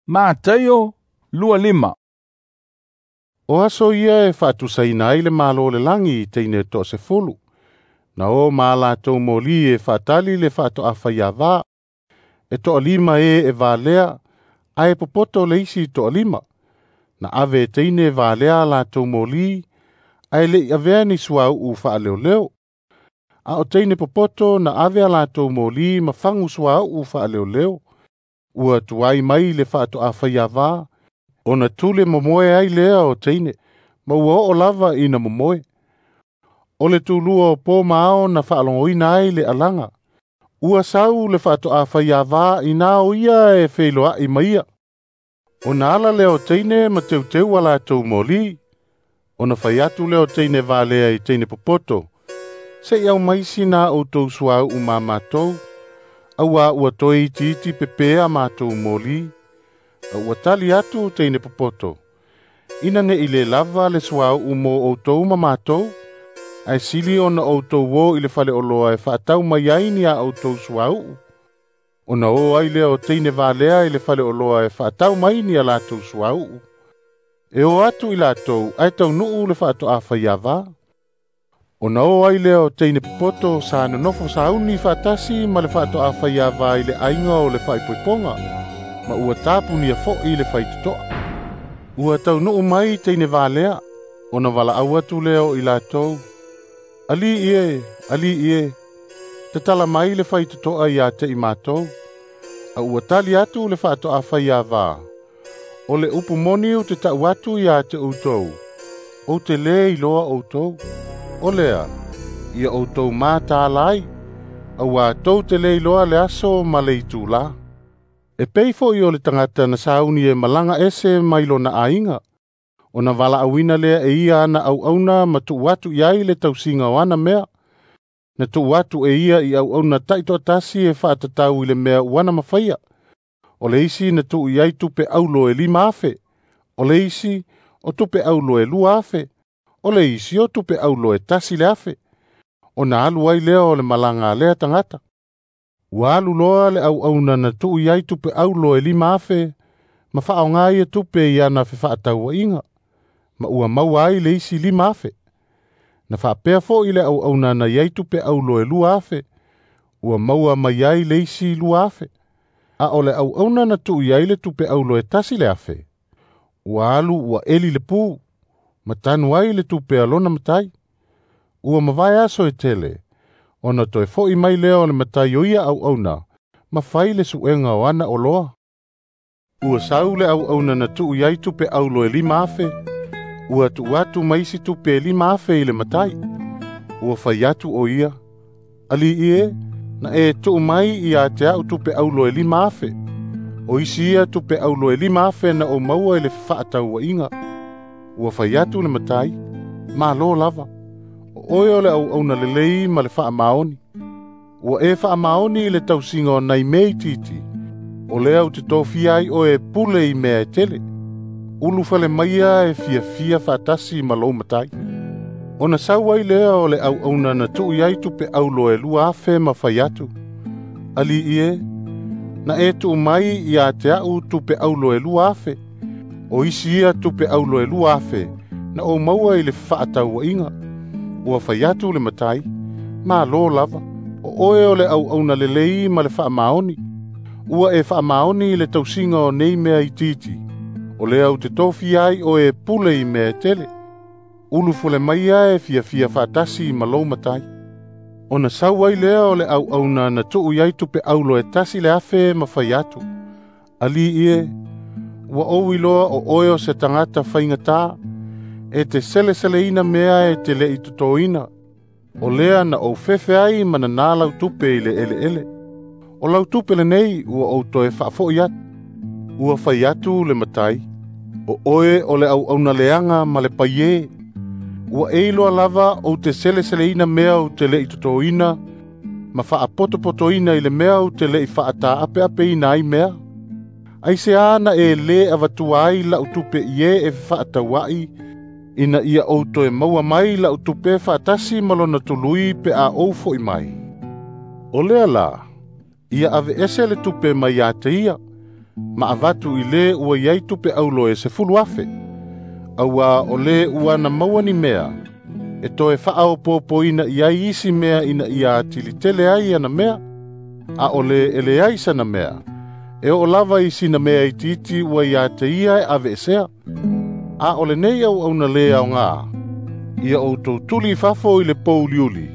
Mataio 25. O aso ia e faatusaina ai le Malo o le lagi i teine e 10. Na o ma latou moli e faatali le faatoafaiava. E 5 e valea, ae popoto le isi 5. Na ave e teine valea latou moli, ae le i avea ni suauu faaleoleo. A o teine popoto na ave a latou moli ma fagu suauu faaleoleo. Ua tuai mai le faatoafaiava, ona tule momoe ai lea o teine, ma ua oo lava ina momoe. O le tulua o po ma ao na faalogoina ai le alaga. Ua sau le faatoafaiava ina o ia e feiloai maia. Ona ala lea o teine ma teuteu a latou moli. Ona fai atu lea o teine valea i teine popoto. Se i au mai sina outou suauu ma matou. Aua ua toe itiiti pepea matou moli. A ua tali atu teine popoto. Ina ne i le lava le suauu mo outou ma matou. Ae sili ona outou o i le faleoloa e faatau mai ai ni a outou suauu. Ona o ai lea o teine valea i le faleoloa e faatau mai ni a latou suauu. E o atu i latou ae taunuu le faatoafaiava. Ona o ai lea o teine popoto sa nonofo sauni faatasi ma le faatoafaiava i le aiga o le faaipoipoga, ma ua tapunia foi le faitotoa. Ua taunuu mai teine valea, ona valaau atu lea o i latou. Ali ie, tatala mai le faitotoa ia te i matou. A ua tali atu le faatoafaiava. O le upu moni ou te tau atu ia te outou, ou te le iloa outou. O lea, ia outou matalai, aua tou te le iloa le aso ma le itula. E pei foi o le tagata na sauni e malaga ese mai lona aiga. Ona valaauina lea e ia ana auauna ma tuu atu i ai le tausiga o ana mea. Na tuu atu e ia i auauna taitoatasi e faatatau i le mea ua ana mafaia. O le isi na tuu i ai tupe aulo e 5,000. O le isi o tupe aulo e 2,000. O le isi o tupe aulo e 1,000. Ona alu ai lea o le malaga a lea tagata. Ua alu loa le auauna na tuu i ai tupe aulo e 5,000, ma faaaoga ia tupe i ana fefaatauaiga, ma ua maua ai le isi 5,000. Na faapea foi le auauna na i ai tupe aulo e 2,000, ua maua mai ai le isi 2,000. A o le auauna na tuu i ai le tupe aulo e 1,000, ua alu ua eli le pu, ma tanu ai le tupe a lona matai. Ua mavae aso e tele, ona toe foi mai lea o le matai o ia auauna, ma fai le suega o ana oloa. Ua sau le auauna na tuu i ai tupe aulo e 5,000, ua tuu atu ma isi tupe e 5,000 i le matai. Ua fai atu o ia, Ali ie, na e tuu mai ia te au tupe aulo e 5,000. O isi ia tupe aulo e 5,000 na o maua i le fefaatauaiga. Ua fai atu le matai, malo lava. O oe o le auauna lelei ma le faamaoni. Ua e faamaoni i le tausiga o nai mea itiiti. O lea ou te tofia ai oe e pule i mea e tele. Ulufale maia e fiafia faatasi ma lou matai. Ona sau ai lea o le auauna na tuu i ai tupe aulo e 2,000 ma fai atu. Ali ie, na e tuu mai ia te au tupe aulo e 2,000. O isi ia tupe aulo e 2,000 na ou maua i le fefaatauaiga. Ua fai atu le matai, malo lava, o oe o le auauna lelei ma le faamaoni. Ua e faamaoni i le tausiga o nei mea itiiti. O lea ou te tofia ai oe e pule i mea e tele. Ulufale maia e fiafia faatasi ma lou matai. Ona sau ai lea o le auauna na tuu i ai tupe aulo e 1,000 ma fai atu. Ali ie, ua ou iloa o oe o se tagata faigata, e te seleseleina mea e te le i totoina. O lea na ou fefe ai ma nanā lau tupe i le eleele. O lau tupe lenei ua ou toe faafoi atu. Ua fai atu le matai, o oe o le auauna leaga ma le paie. Ua e iloa lava ou te seleseleina mea ou te le i totoina, ma faapotopotoina i le mea ou te le i faataapeapeina ai mea. Aisea na e le avatua ai lau tupe i e e fefaatauai, ina ia ou toe maua mai lau tupe faatasi ma lona tului pe a ou foi mai. O lea la, ia aveese le tupe mai ia te ia, Ma avatu i le ua iai tupe aulo e 10,000. Auā o le ua na maua ni mea, e toe faaopoopoina i ai isi mea ina ia atili tele ai ana mea. A o le e leai sana mea, e oo lava i sina mea itiiti ua ia te ia e aveesea. A o lenei auauna lē aogā, ia outou tuli i fafo i le pouliuli,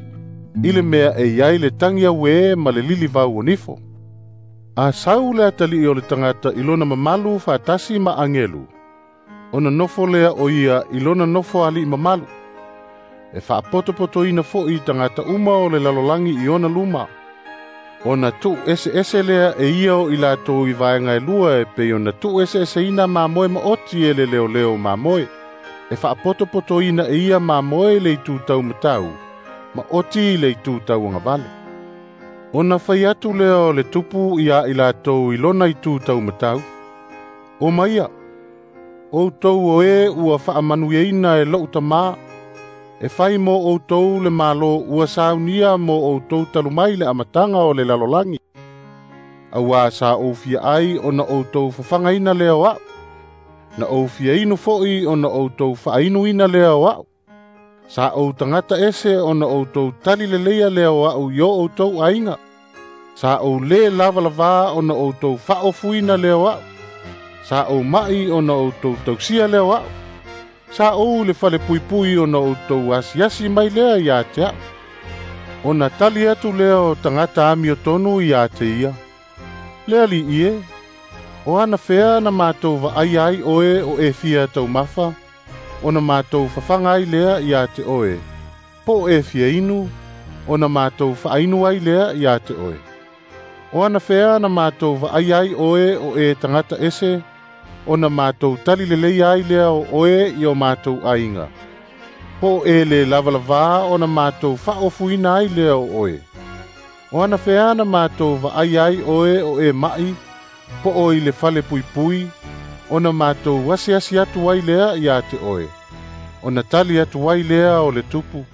i le mea e i ai le tagi auē ma le lilivau o nifo. A sau le atalii o le tagata i lona mamalu faatasi ma agelu, ona nofo lea o ia i lona nofo ali'i mamalu. E faapotopotoina fo'i tagata uma o le lalolagi i ona luma. Ona tuueseese lea e ia o i latou i vaega e lua e pei ona tuueseeseina mamoe maoti e le leoleo mamoe. E faapotopotoina e ia mamoe i le itu taumatau, ma oti i le itu tauagavale. Ona fai atu lea o le tupu iā i latou i lona itu taumatau, O maia, outou o e ua faamanuiaina e lo'u tamā, e fai mo outou le malo ua saunia mo outou talu mai le amataga o le lalolagi. Auā sa ou fia ai ona outou fafagaina lea o a'u, na ou fia inu fo'i ona outou faainuina lea o a'u. Sa ou tagata ese ona outou tali leleia lea o a'u i o outou aiga. Sa ou lē lavalavā ona outou faaofuina lea o a'u. Sa ou ma'i ona outou tausia lea o a'u. Sa ou i le falepuipui ona outou asiasi mai lea iā te a'u. Ona tali atu lea o tagata amiotonu iā te ia, Le ali'i e, o anafea na matou vaaia ai oe o e fia taumafa, ona matou fafaga ai lea iā te oe, po o e fia inu, ona matou faainu ai lea iā te oe. O anafea na matou vaaia ai oe o e tagata ese, ona matou tali leleia ai lea o oe i o matou aiga. Po o e lē lavalavā ona matou faaofuina ai lea o oe. O anafea na matou vaaia ai oe o e ma'i, po o i le falepuipui, ona matou asiasi atu ai lea iā te oe. Ona tali atu ai lea o le tupu,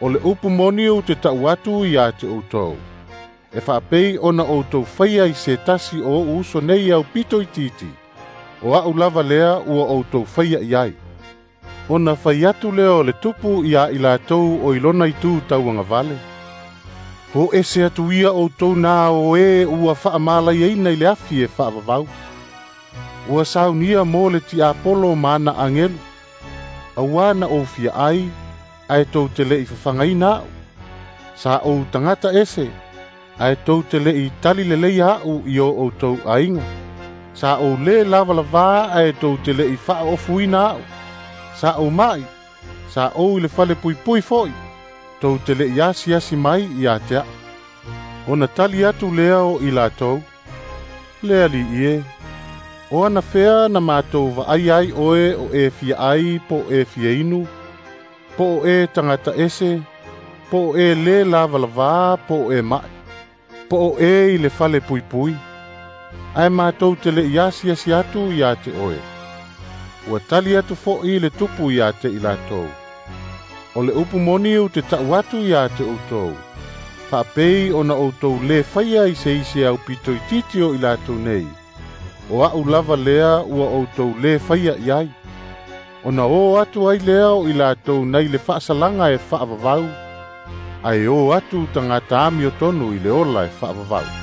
O le upu moni ou te ta'u atu iā te outou. E faapei ona outou faia i se tasi o o'u uso nei aupito itiiti, o a'u lava lea ua outou faia i ai. Ona fai atu lea o le tupu iā i latou o i lona itu tauagavale, O ese atu ia outou na o e ua faamalaiaina i le afi e faavavau. Ua saunia mo le tiapolo ma ana agelu. Auā na ou fia ai, ae tou te le'i fafagaina a'u. Sa ou tagata ese, ae tou te le'i tali leleia a'u i o outou aiga. Sa ou lē lavalavā ae tou te le'i faaofuina a'u. Sa ou ma'i, sa ou i le falepuipui fo'i, tou te le'i asiasi mai iā te a'u. Ona tali atu lea o i latou, Le ali'i e, o anafea na matou vaaia ai oe o e fia ai po o e fia inu, po o e tagata ese, po o e lē lavalavā po o e ma'i, po o e i le falepuipui, ae matou te le'i asiasi atu iā te oe. Ua tali atu fo'i le tupu iā te i latou, O le upu moni ou te ta'u atu iā te outou, faapei ona outou lē faia i se isi aupito itiiti o i latou nei, o a'u lava lea ua outou lē faia i ai. Ona o atu ai lea o i latou nai le faasalaga e faavavau, ae o atu tagata amiotonu i le ola e faavavau.